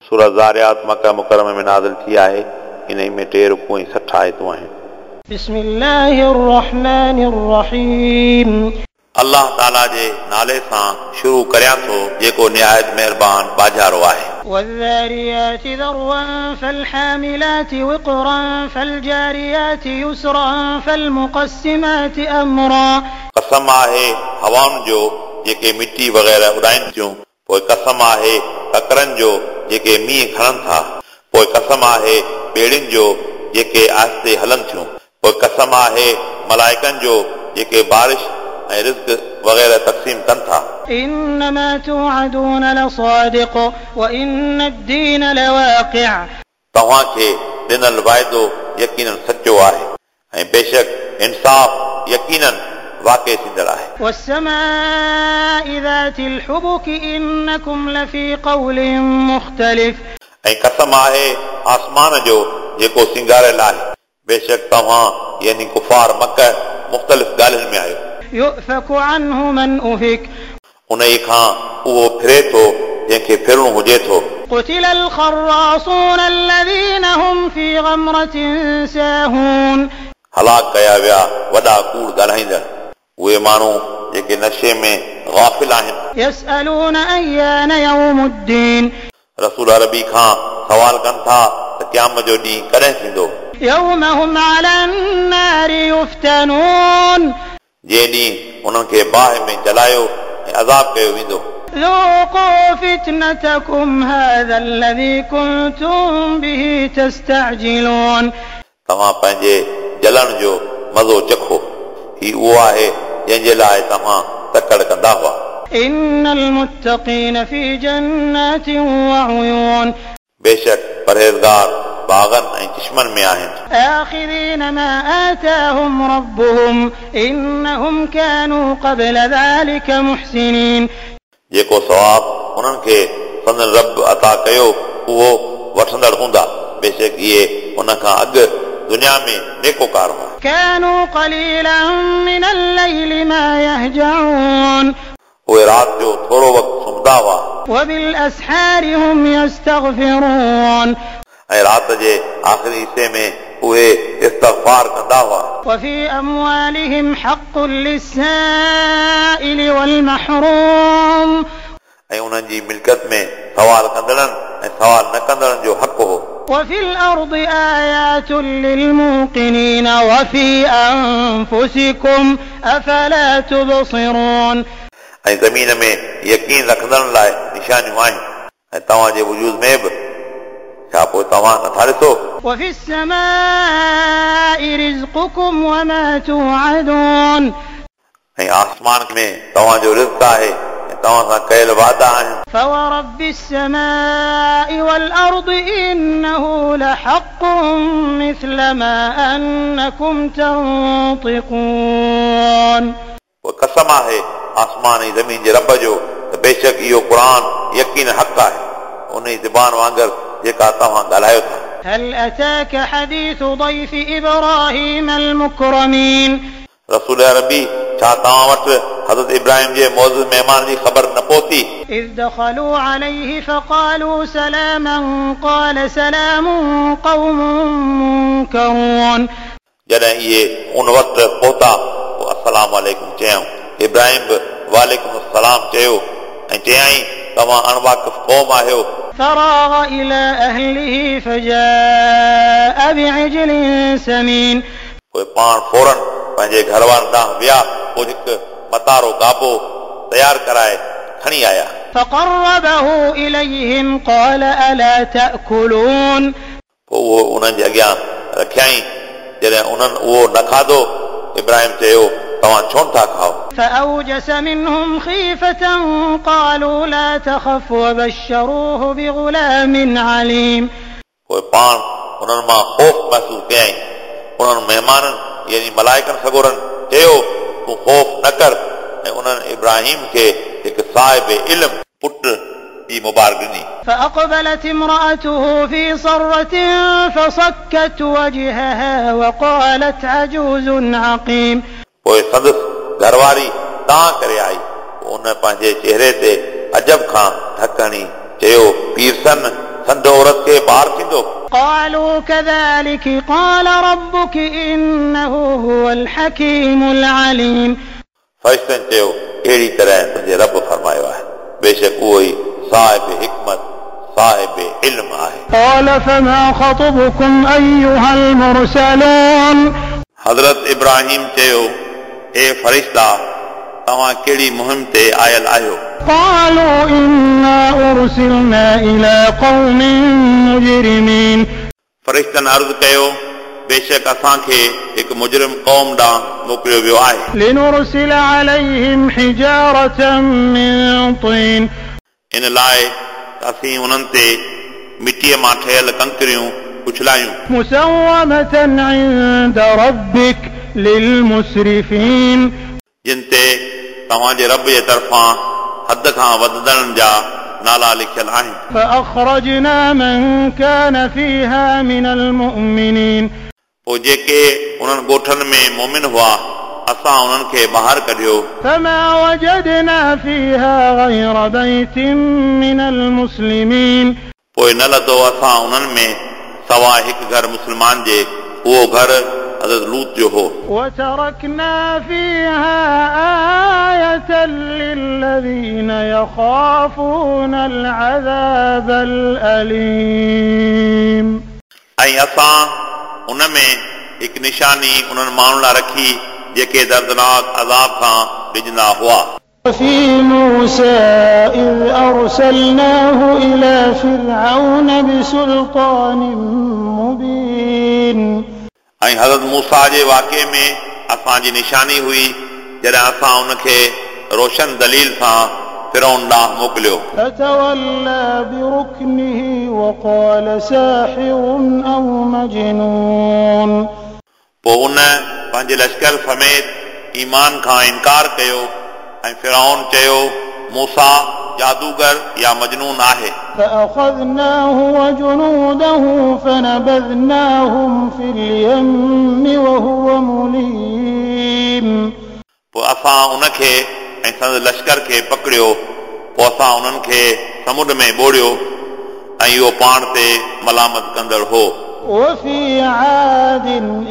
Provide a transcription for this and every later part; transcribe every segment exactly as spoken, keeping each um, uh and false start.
सूरह ज़ारियात मक्का मुकर्रमा में नाज़िल थी आहे। इन्हई में टे रुकू ऐं सठि आयतूं आहिनि। बिस्मिल्लाहिर रहमानिर रहीम। अल्लाह ताला जे नाले सां शुरू करियां थो जेको निहायत महिरबान बाजारो आहे। والذاريات ذروا فالحاملات وقرا فالجاريات يسرا فالمقسمات أمرا। कसम आहे हवाउनि जो जेके मिटी वग़ैरह उॾाइनि थियूं, पोइ कसम आहे ककरनि जो जेके मींहुं खणनि था, पोइ कसम आहे ॿेड़ियुनि जो जेके आहिस्ते हलनि थियूं, पोइ कसम आहे मलाइकनि जो जेके बारिश ऐं रिज़्क वग़ैरह तक़सीम कनि था। إنما توعدون لصادق وإن الدين لواقع। तव्हांखे ॾिनल वाइदो यकीनन सचो आहे ऐं बेशक इंसाफ़ यकीनन वाक़े थींदड़ आहे। والسماء ذات الحبك إنكم لفي قول مختلف। ऐं कसम आहे आसमान जो जेको सिंगारियल आहे, बेशक तव्हां यानी कुफार मक्का मुख़्तलिफ़ ॻाल्हियुनि में आहियो। يؤفك عنه من أفك। उन खां उहो फिरे थो जंहिंखे फिरणो हुजे थो। قتل الخراصون الذين هم في غمرة ساهون। हलाक कया विया वॾा कूड़ ॻाल्हाईंदड़, उहे माण्हू जेके नशे में गाफ़िल आहिनि। يسألون أيان يوم الدين। रसूल अरबी खां सवाल कनि था त क़यामत जो ॾींहुं कॾहिं थींदो। يوم هم على النار يفتنون। जंहिं ॾींहुं उन्हनि खे बाहि में जलायो ऐं अज़ाब कयो वेंदो। ذوقوا فتنتكم هذا الذي كنتم به تستعجلون। तव्हां पंहिंजे जलण जो मज़ो चखो, ही उहो आहे जंहिंजे लाइ तव्हां तकड़ कंदा हुआ। إن المتقين في جنات وعيون। बेशक परहेज़गार बाग़नि ऐं चश्मनि में आहिनि। آخذين ما آتاهم ربهم إنهم كانوا قبل ذلك محسنين। जेको सवाब उन्हनि खे संदन रब अता कयो उहो वठंदड़ हूंदा, बेशक इहे उन खां अॻु दुनिया में नेकोकार हुआ। كانوا قليلا من الليل ما يهجعون। उहे राति जो थोरो वक़्तु सुम्हंदा हुआ। وبالأسحار هم يستغفرون। ऐं राति जे आख़िरी हिसे में उहे इस्तग़फ़ार कंदा हुआ। وفي أموالهم حق للسائل والمحروم। ऐं उन्हनि जी मिल्कत में सवाल कंदड़नि ऐं सवाल न कंदड़नि जो हक़ हो। وفي الأرض آيات للموقنين وفي أنفسكم أفلا تبصرون। ऐं ज़मीन में यकीन रखंदड़नि लाइ निशानियूं आहिनि ऐं तव्हांजे वजूद में बि, छा पोइ तव्हां नथा ॾिसो? وفي السماء رزقكم وما توعدون। ऐं आसमान में तव्हांजो रिज़्क आहे ऐं तव्हां सां कयल वादा आहिनि। فورب السماء والأرض إنه لحق مثل ما أنكم تنطقون। पोइ कसम आहे आसमान ऐं ज़मीन जे रब जो त बेशक इहो क़ुर यकीन हक़ आहे उन ई ज़बान वांगुरु जेका तव्हां ॻाल्हायो था। هل أتاك حديث ضيف إبراهيم المكرمين। रसूल अरबी छा तव्हां वटि हज़रत इब्राहिम जे मौज़ूद महिमान जी ख़बर न पहुती? إذ دخلوا عليه فقالوا سلاما قال سلام قوم منكرون। जॾहिं इहे उन वक़्तु पहुता पोइ अस्सलाम वालेकुम चयाऊं। इब्राहिम बि वालेकुम अस्सलाम चयो ऐं चयाईं तव्हां अणवाक़िफ़ क़ौम आहियो। فراغ إلى أهله فجاء بعجل سمين। पोइ पाण फ़ौरन पंहिंजे घर वारनि ॾांहुं विया, पोइ हिकु मतारो गाबो तयारु कराए खणी आया। فقربه إليهم قال ألا تأكلون। पोइ उहो उन्हनि जे अॻियां रखियाईं। जॾहिं उन्हनि उहो न खाधो, इब्राहिम चयो तव्हां छो नथा खाओ? فأوجس منهم خيفة قالوا لا تخف وبشروه بغلام عليم। पोइ पाण उन्हनि मां ख़ौफ़ महसूसु कयाईं। उन्हनि महिमाननि यानी मलाइकनि सगोरनि चयो तूं ख़ौफ़ न कर, ऐं उन्हनि इब्राहिम खे हिकु साहिब इल्म पुट जी मुबारक ॾिनी। فأقبلت امرأته في صرة فصكت وجهها وقالت عجوز عقيم। पोइ संदसि घरवारी तां करे आई, उन पंहिंजे चेहरे ते अजब खां ढक हणी चयो पीरसन संध औरत खे ॿार थींदो? قالوا كذلك قال ربك إنه هو الحكيم العليم. फरिश्तनि चयो अहिड़ी तरह तुंहिंजे रब फरमायो आहे, बेशक उहो ई साहिब हिकमत साहिब इल्म आहे। قال فما خطبكم أيها المرسلون. हज़रत इब्राहिम चयो ए फरिश्ता तव्हां कहिड़ी मुहिम ते आयल आहियो? قالوا إنا أرسلنا إلى قوم مجرمين. फरिश्तनि अर्ज़ कयो बेशक असांखे हिकु मुजरिम क़ौम ॾांहुं मोकिलियो वियो आहे। لنرسل عليهم حجارة من طين. इन लाइ असीं उन्हनि ते मिटीअ मां ठहियल कंकरियूं उछलायूं। مسومة عند ربك للمسرفين. जिन ते तव्हांजे रब जे तरफ़ां हद खां वधंदड़नि जा नाला लिखियल आहिनि। فأخرجنا من كان فيها من المؤمنين. पोइ जेके उन्हनि ॻोठनि में मोमिन हुआ असां उन्हनि खे ॿाहिरि कढियो। فما وجدنا فيها غير بيت من المسلمين. पोइ न लधो असां उन्हनि में सवाइ हिकु घर मुस्लमान जे, उहो घर हज़रत लूत जो हो। وتركنا فيها آية للذين يخافون العذاب الأليم. ऐं असां उन में हिकु निशानी उन्हनि माण्हुनि लाइ रखी जेके दर्दनाक अज़ाब खां ॾिजंदा हुआ। وفي موسى إذ أرسلناه إلى فرعون بسلطان مبين. ऐं हज़रत मूसा जे वाक़े में असांजी निशानी हुई जॾहिं असां उनखे रोशन दलील सां फिरौन ॾांहुं मोकिलियो। فتولى بركنه وقال ساحر أو مجنون. पोइ उन पंहिंजे लश्कर समेत ईमान खां इनकार कयो ऐं फिरौन चयो मूसा जादूगर या मजनून आहे। فأخذناه وجنوده فنبذناهم في اليم وهو مليم. पोइ असां उनखे ऐं संदसि लश्कर खे पकड़ियो, पोइ असां उन्हनि खे समुंड में ॿोड़ियो ऐं इहो पाण ते मलामत कंदड़ हो। وفي عاد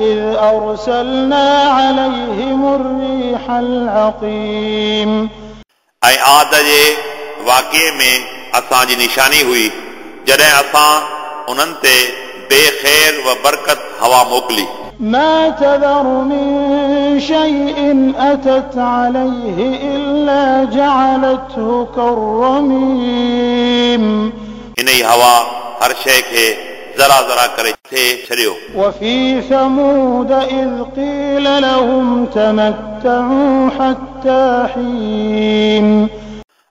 إذ أرسلنا عليهم الريح العقيم. ऐं आद जे वाक़े में असांजी निशानी हुई जॾहिं असां उन्हनि ते बेख़ैर व बरकत हवा मोकिली। ما تذر من شيء أتت عليه إلا جعلته كالرميم. इन ई हवा हर शइ खे ज़रा ज़रा करे थे छॾियो। وفي ثمود إذ قيل لهم تمتعوا حتى حين.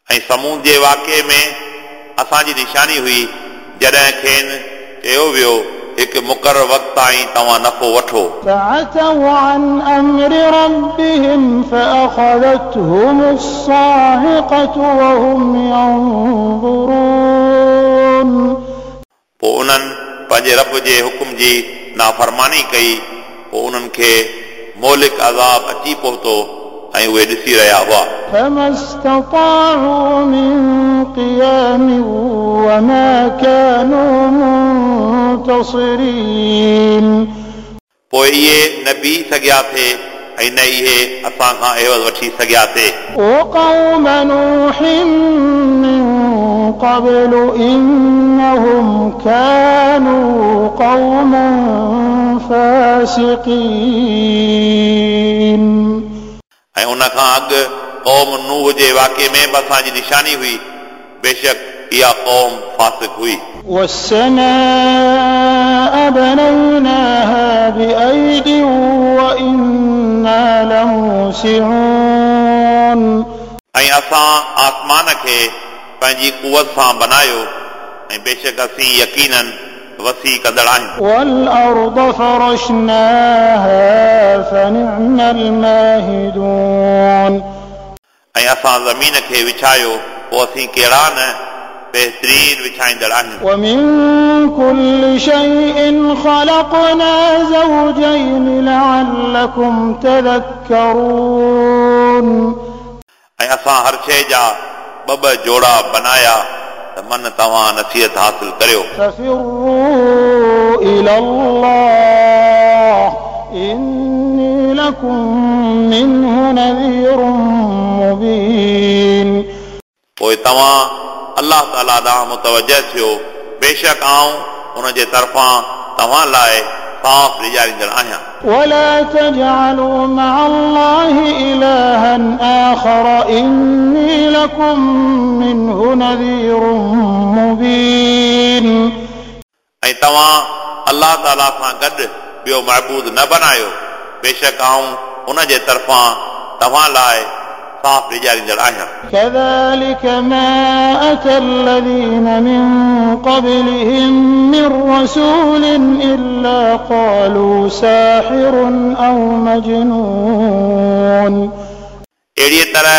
ऐं समूद जे वाक़े में असांजी निशानी हुई जॾहिं खेनि चयो वियो हिकु मुक़ररु वक़्त ताईं तव्हां नफ़ो वठो। فعتوا عن أمر ربهم فأخذتهم الصاعقة وهم ينظرون. पोइ उन्हनि पंहिंजे रब जे हुकुम जी नाफ़रमानी कई, पोइ उन्हनि खे मोलिक अज़ाब अची पहुतो ऐं उहे ॾिसी रहिया हुआ। فما استطاعوا من قيام وما كانوا منتصرين. पोइ इहे न बीह सघिया थे ऐं न इहे असां खां एवज़ वठी सघिया थे। وقوم نوح من قبل إنهم كانوا قوما فاسقين. ऐं उन खां अॻु क़ौम नूह जे वाक़े में बि असांजी निशानी हुई, बेशक इहा क़ौम फ़ासिक हुई। والسماء بنيناها بأيد وإنا لموسعون. ऐं असां आसमान खे पंहिंजी कुवत सां बनायो ऐं बेशक असीं यकीनन वसी कंदड़ आहियूं। والأرض فرشناها فنعم الماهدون. ऐं असां ज़मीन खे विछायो, पोइ असीं कहिड़ा न बहितरीन विछाईंदड़ आहियूं। ومن كل شيء خلقنا زوجين لعلكم تذكرون. ऐं असां हर शइ जा ॿ ॿ जोड़ा बनाया त मन तव्हां नसीहत हासिल करियो। ففروا إلى الله إني لكم منه نذير مبين। पोइ तव्हां अलाह ताला ॾांहुं मुतवजह थियो, बेशक आउं उन जे तरफ़ां तव्हां लाइ साफ़ ॾिजारींदड़ आहियां। ولا تجعلوا مع الله إلها آخر إني لكم منه نذير مبين। ऐं तव्हां अलाह ताला सां गॾु ॿियो महबूद न बनायो, बेशक आउं उन जे तरफ़ां तव्हां लाइ साफ़ ॾिजारींदड़ आहियां। كذلك ما أتى الذين من قبلهم من رسول إلا قالوا ساحر أو مجنون। अहिड़ीअ तरह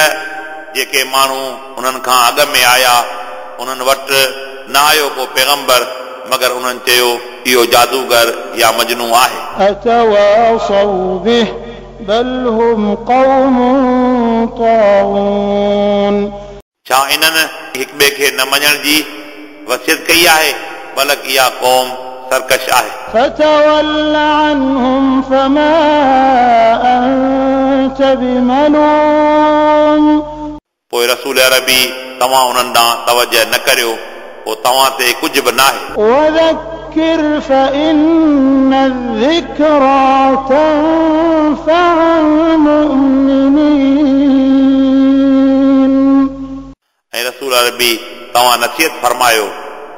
जेके माण्हू उन्हनि खां अॻु में आया उन्हनि वटि न आयो को पैगंबर, मगर उन्हनि चयो इहो जादूगर या मजनू आहे। أتواصوا به بل هم قوم طاغون। छा इन्हनि हिक ॿिए खे न मञण जी वसियत कई आहे? बल्कि इहा क़ौम सरकश आहे। فتول عنهم فما أنت بملوم। पोइ रसूल अरबी तव्हां उन्हनि ॾांहुं तवजह न करियो, पोइ तव्हां ते कुझु बि नाहे। وذكر فإن الذكرى تنفع المؤمنين। ऐं रसूल अरबी तव्हां नसीहत फरमायो,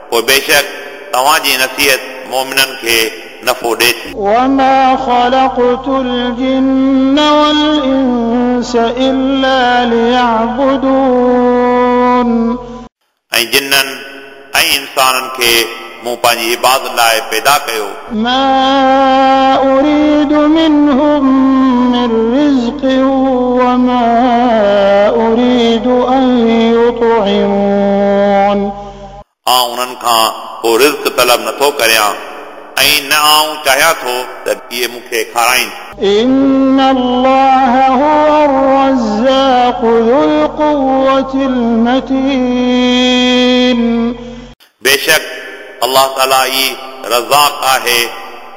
पोइ बेशक तव्हांजी नसीहत मोमिननि खे नफ़ो ॾिए थी। وما خلقت الجن والإنس إلا ليعبدون। ऐं जिन्ननि ऐं इंसाननि खे मूं पंहिंजी इबादत लाइ पैदा कयो। ما أريد منهم من رزق وما أريد أن يطعمون। आउं उन्हनि खां को रिज़्क तलब नथो करियां ऐं न आउं चाहियां थो त इहे मूंखे खाराइनि। إن الله هو الرزاق ذو القوة المتين। बेशक अलाह ताला ई रज़ाक आहे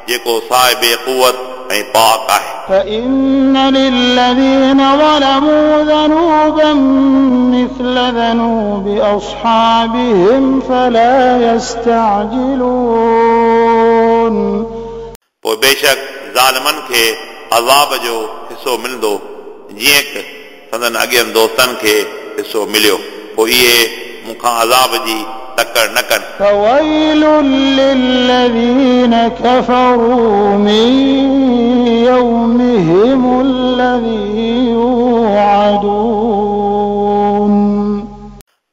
जेको साहिब क़ुवत ऐं पाक आहे। فإن للذين ظلموا ذنوبا مثل ذنوب أصحابهم فلا يستعجلون। पोइ बेशक ज़ालिमनि खे अज़ाब जो हिसो मिलंदो जीअं की संदन अॻियनि दोस्तनि खे हिसो मिलियो, पोइ इहे मूंखां अज़ाब जी तकड़ न कनि। فويل للذين كفروا من يومهم الذي يوعدون।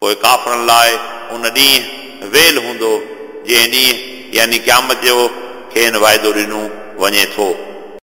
पोइ काफ़रनि लाइ उन ॾींहुं वेल हूंदो जंहिं ॾींहुं यानी क़यामत जो खेनि वाइदो ॾिनो वञे थो।